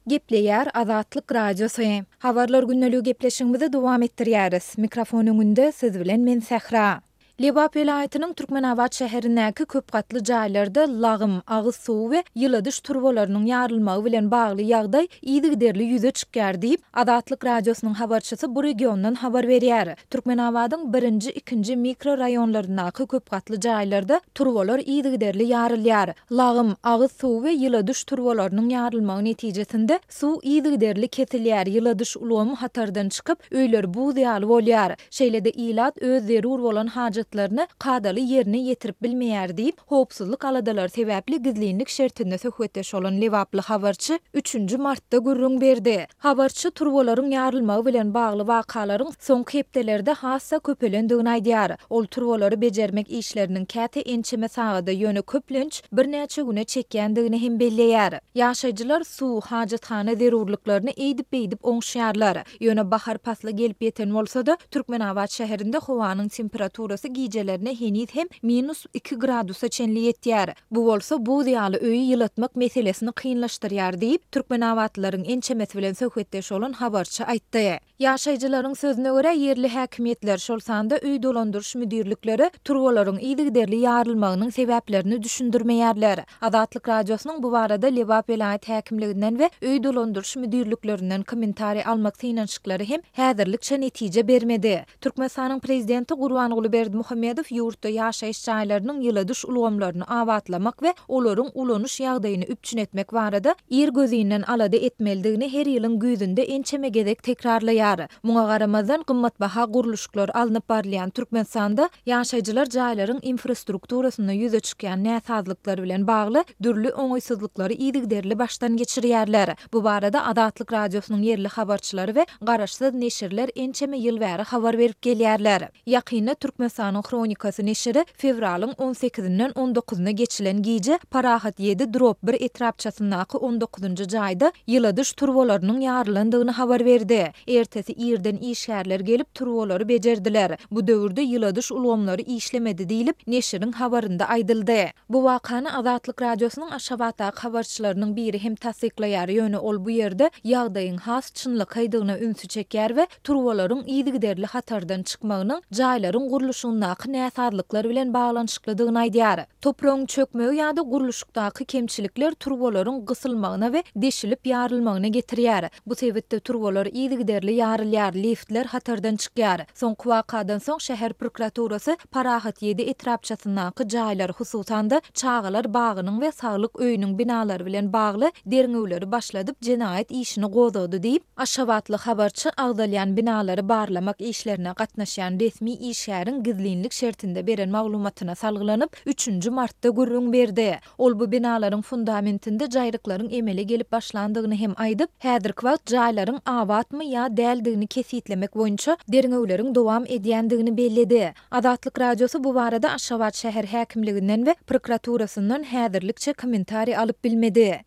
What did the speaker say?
Gepleýär Azatlyk Radiosy. Habarlar gündeligi gepleşigimizi dowam etdirýäris. Mikrofon öňünde siz bilen men Sähra. Lebap welaýatynyň Türkmenabat şäherindäki köp gatly jaýlarda lagym, agyz suwy we ýyladyş turbalarynyň ýarylmagy bilen bagly ýagdaý yzygiderli ýüze çykýar diýip, Azatlyk Radiosynyň habarçysy bu regiondan habar berýär. Türkmenabadyň birinji, ikinji mikroraýonlaryndaky köp gatly jaýlarda turbalar yzygiderli ýarylýar. Lagym, agyz suwy we ýyladyş turbalarynyň ýarylmagy netijesinde suw yzygiderli kesilýär, ýyladyş ulgamy hatardan çykyp, öýler buz ýaly bolýar. Şeýle-de ilat öz zerur bolan hajatlaryny kadaly ýerine ýetirip bilmeýär diýip, howpsuzlyk aladalary sebäpli gizlinlik şertinde söhbetdeş bolan lebaply habarçy üçünji martda gürrüň berdi. Habarçy turbalaryň ýarylmagy bilen bagly wakalaryň soňky hepdelerde has-da köpelendigini aýdýar. Ol turbalary bejermek işleriniň käte ençeme sagada, ýöne köplenç birnäçe güne çekýändigini hem belleýär. Ýaşaýjylar suw, hajathana zerurlyklaryny eýdip-beýdip oňuşýarlar. Ýöne bahar pasly gelip ýeten bolsa-da, Türkmenabat şäherinde howanyň temperaturasy gijelerine heniz hem minus iki gradusa çenli ýetýär. Bu bolsa buz ýaly öýi ýylatmak meselesini kynlaşdyrýar diýip, türkmenabatlylaryň ençemesi bilen söhbetdeş bolan habarçy aýtdy. Ýaşaýjylaryň sözüne görä, ýerli häkimiýetler, şol sanda öý dolandyryş müdirlikleri turbalaryň yzygiderli ýarylmagynyň sebäplerini düşündirmeýärler. Azatlyk Radiosynyň bu barada Lebap welaýat häkimliginden we öý dolandyryş müdirliklerinden kommentariý almak synanyşyklary hem häzirlikçe netije bermedi. Türkmenistanyň Prezidenti Gurbanguly Berdimuhamedow ýurtda ýaşaýyş jaýlarynyň ýyladyş ulgamlaryny abatlamak we olaryň ulanyş ýagdaýyny üpjün etmek barada irgözinden alada etmelidigini her ýylyň güýzünde ençeme gezek tekrarlaýar. Muňa garamazdan, gymmatbaha gurluşyklar alnyp barylýan Türkmenistanda ýaşaýjylar jaýlaryň infrastrukturasynda ýüze çykýan näsazlyklar bilen bagly dürli oňaýsyzlyklary yzygiderli başdan geçirýärler. Bu barada Azatlyk Radiosynyň ýerli habarçylary we garaşsyz neşirler ençeme ýyl bäri habar berip gelýärler. Ýakynda Türkmenistanyň Hronikasy neşiri fewralyň on sekizinden on dokuzyna geçilen gije Parahat ýedi drop bir etrapçasyndaky on dokuzynjy jaýda ýyladyş turbalarynyň ýarylandygyny habar berdi. Ertesi irden işgärler gelip turbalary bejerdiler. Bu döwürde ýyladyş ulgamlary işlemedi diýlip, neşiriň habarynda aýdyldy. Bu wakany Azatlyk Radiosynyň Aşgabatdaky habarçylarynyň biri hem tassyklaýar, ýöne ol bu ýerde ýagdaýyň has çynlakaýdygyna ünsi çekýär we turbalaryň yzygiderli hatardan çykmagynyň jaýlaryň gurluşygyndaky näsazlyklar bilen baglanyşyklydygyny aýdýar. Topragyň çökmegi ýa-da gurluşykdaky kemçilikler turbalaryň gysylmagyna we deşilip ýarylmagyna getirýär. Bu sebitde turbalar yzygiderli ýarylýar, liftler hatardan çykýar. Soňky wakadan soň şäher prokuraturasy Parahat ýedi etrapçasyndaky jaýlar, hususan-da, çagalar bagynyň we saglyk öýüniň binalary bilen bagly derňewleri başladyp, jenaýat işini gozgady diýip, aşgabatly habarçy agzalýan binalary barlamak işlerine gatnaşýan resmi işgäriň gizlinlik şertinde beren maglumatyna salgylanyp, üçünji martda gürrüň berdi. Ol bu binalaryň fundamentinde jaýryklaryň emele gelip başlandygyny hem aýdyp, häzirki wagt jaýlaryň abatmy ýa däldigini kesgitlemek boýunça derňewleriň dowam edýändigini belledi. Azatlyk Radiosy bu barada Aşgabat şäher häkimliginden we prokuraturasyndan häzirlikçe kommentariý alyp bilmedi.